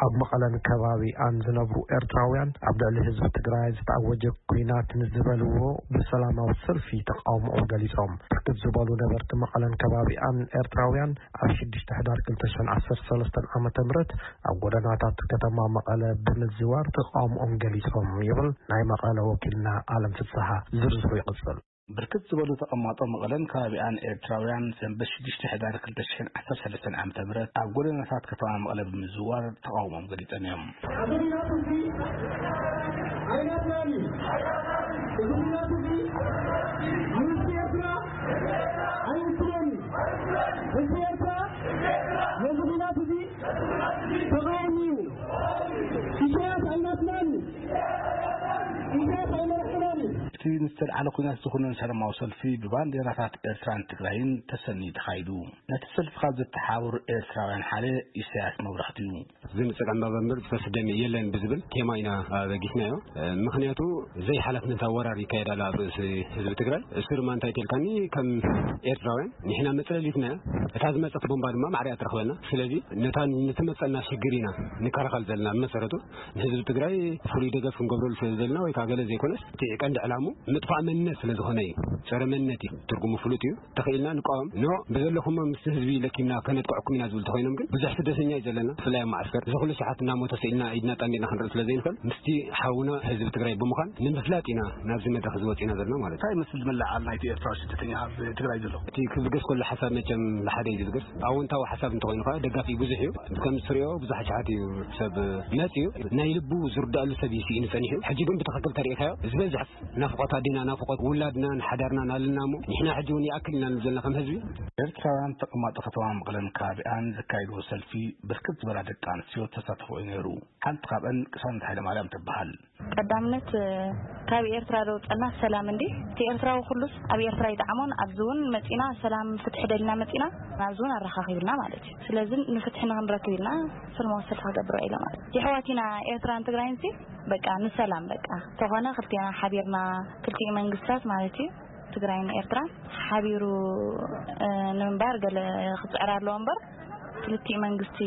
ኣብ መቐለን ከባቢኣን ዝነብሩ ኤርትራውያን፣ ኣብ ልዕሊ ህዝቢ ትግራይ ዝተኣወጀ ኲናት ንዝበልዎ ብሰላማዊ ሰልፊ ተቓውሞኦም ገሊጾም። ብርክት ዝበሉ ነበርቲ መቐለን ከባቢኣን ኤርትራውያን፣ ኣብ ሽዱሽተ ሕዳር ክልተ ሽሕን ዓሰርተ ሰለስተን ዓመተ ምህረት ኣብ ጎደናታት ከተማ መቐለ ብምዝዋር ተቓውሞኦም ገሊጾም ይብል ናይ መቐለ ወኪልና ኣለም ፍስሓ። ዝርዝሩ ይቕጽል። ብርክት ዝበሉ ተቐማጦ መቐለን ከባቢኣን ኤርትራውያን፣ ሰንበት ሽዱሽተ ሕዳር ክልተ ሽሕን ዓሰርተ ሰለስተን ዓመተ ምህረት ኣብ ጎደናታት ከተማ መቐለ ብምዝዋር ተቓውሞኦም ገሊጾም እዮም። እዚ ኹናት እዚ ኣይናትናን እዩ። እዚ ኹናት እዚ መንግስቲ ኤርትራ ኣይውክሎን እዩ። ህዝቢ ኤርትራ ነዚ ኹናት እዚ ተቓዋሚ እዩ። ኢሳያስ ኣይናትናን እዩ። ኢሳያስ ኣይመርሕናን እዩ። እቲ ንዝተልዓለ ኲናት ዝኹነን ሰላማዊ ሰልፊ ብባንዴራታት ኤርትራን ትግራይን ተሰንዩ ተኻይዱ። ነቲ ሰልፊ ካብ ዘተሓባበሩ ኤርትራውያን ሓደ ኢሳያስ መብራህቱ እዩ። ዝምጽእ ዕምባባ እምበር ዝፈስስ ደም የለን ብዝብል ቴማ ኢና ኣበጊስናዮ። ምኽንያቱ ዘይሓላፍነት ኣወራር ይካየድ ኣሎ ኣብ ርእሲ ህዝቢ ትግራይ። እሱ ድማ እንታይ ተልካኒ፣ ከም ኤርትራውያን ንሕና መጽለሊትና እያ። እታ ዝመጸት ቦምባ ድማ ማዕሪያ ትረኽበና። ስለዚ ነታ ንትመጸና ሽግር ኢና ንከላኸል ዘለና። ብመሰረቱ ንህዝቢ ትግራይ ፍሉይ ደገፍ ክንገብረሉ ስለ ዘለና ወይ ከዓ ገለ ዘይኮነስ፣ እቲ ቀንዲ ዕላሙ ምጥፋእ መንነት ስለ ዝኾነ እዩ። ጸረ መንነት እዩ። ትርጉሙ ፍሉጥ እዩ። ተኽኢልና ንቃወም። ኖ፣ ብዘለኹሞ ምስቲ ህዝቢ ለኪምና ከነጥቅዐኩም ኢና ዝብል ተኾይኖም ግን ብዙሕ ስደተኛ እዩ ዘለና። ብፍላይ ኣብ ማዓስከር እዚ ኩሉ ሸሓት እናሞተ ስኢልና ኢድና ጣሚርና ክንርኢ ስለ ዘይንኽእል፣ ምስቲ ሓውና ህዝቢ ትግራይ ብምዃን ንምፍላጥ ኢና ናብዚ መድረኽ እዚ ወፂና ዘለና ማለት እዩ። እንታይ ይመስል ዝመልዓል ናይቲ ኤርትራዊ ስደተኛ ኣብ ትግራይ ዘሎ? እቲ ክብገስ ከሎ ሓሳብ መቸም ንሓደ እዩ ዝብገስ። ኣወንታዊ ሓሳብ እንተኾይኑ ከዓ ደጋፊ ብዙሕ እዩ። ከም ትሪኦ ብዙሕ ሸሓት እዩ ሰብ መፂኡ። ናይ ልቡ ዝርዳእሉ ሰብ እዩ ስኢኑ ጸኒሑ። ሕጂ ግን ብትኽክል ተሪኢኻዮ ዝበዝሕ ናፍቖት ኣዴና፣ ናፍቖት ውላድናን ሓዳርናን ኣለና እሞ፣ ንሕና ሕጂ እውን ይኣክል ኢና ንብል ዘለና ከም ህዝቢ። ኤርትራውያን ተቐማጦ ከተማ መቐለን ከባቢኣን ዘካየድዎ ሰልፊ ብርክት ዝበላ ደቂ ኣንስትዮ ተሳተፎ እዩ ነይሩ። ሓንቲ ካብአን ቅሳነት ሃይለማርያም ትበሃል። ቀዳምነት፣ እ፣ ካብ ኤርትራ ዘውፀና ሰላም እንዲ። እቲ ኤርትራዊ ኩሉስ ኣብ ኤርትራ ይጥዓሞን፣ ኣብዚ እውን መፂና ሰላም ፍትሒ ደሊና መፂና፣ ናብዚ እውን ኣረኻኺብና ማለት እዩ። ስለዚ ንፍትሒ ንክንረክብ ኢልና ሰላማዊ ሰልፊ ክገብር ኢለ ማለት እዩ። የሕዋት ኢና ኤርትራን ትግራይን ሲ በቃ ንሰላም በቃ ተኾነ ክልቴና ሓቢርና ክልቲኡ መንግስታት ማለት እዩ ትግራይን ኤርትራን ሓቢሩ፣ እ፣ ንምንባር ገለ ክፅዕር ኣለዎ እምበር ክልቲኡ መንግስቲ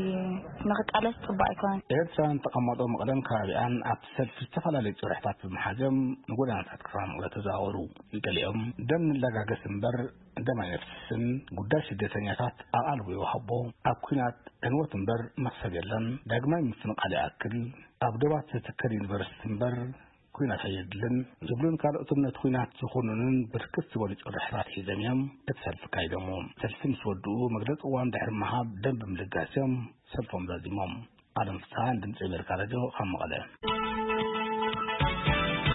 ንክቃለስ ፅቡቅ ኣይኮነን። ኤርትራን ተቐማጦ መቐለን ከባቢኣን ኣብቲ ሰልፊ ዝተፈላለዩ ጭርሕታት ብምሓዝዮም ንጎደናታት ከተማ መቐለ ተዘዋወሩ። ገሊኦም ደም ንለጋገስ እምበር ደም ኣይነፍስስን፣ ጉዳይ ስደተኛታት ኣቓልቦ ይወሃቦ፣ ኣብ ኲናት ዕንወት እምበር መኽሰብ የለን፣ ዳግማይ ምፍንቓል ይኣክል፣ ኣብ ዶባት ዝትከል ዩኒቨርሲቲ እምበር ኲናት ኣየድልን ዝብሉን ካልኦትን ነቲ ኲናት ዝኹንኑን ብርክት ዝበሉ ጭርሕታት ሒዞም እዮም እቲ ሰልፊ ኣካይዶሞ። ሰልፊ ምስ ወድኡ መግለጺ እዋን ድሕሪ ምሃብ ደም ብምልጋስ እዮም ሰልፎም ዛዚሞም። ኣለም ፍስሃን ድምፂ ኣሜሪካ ሬድዮ ካብ መቐለ።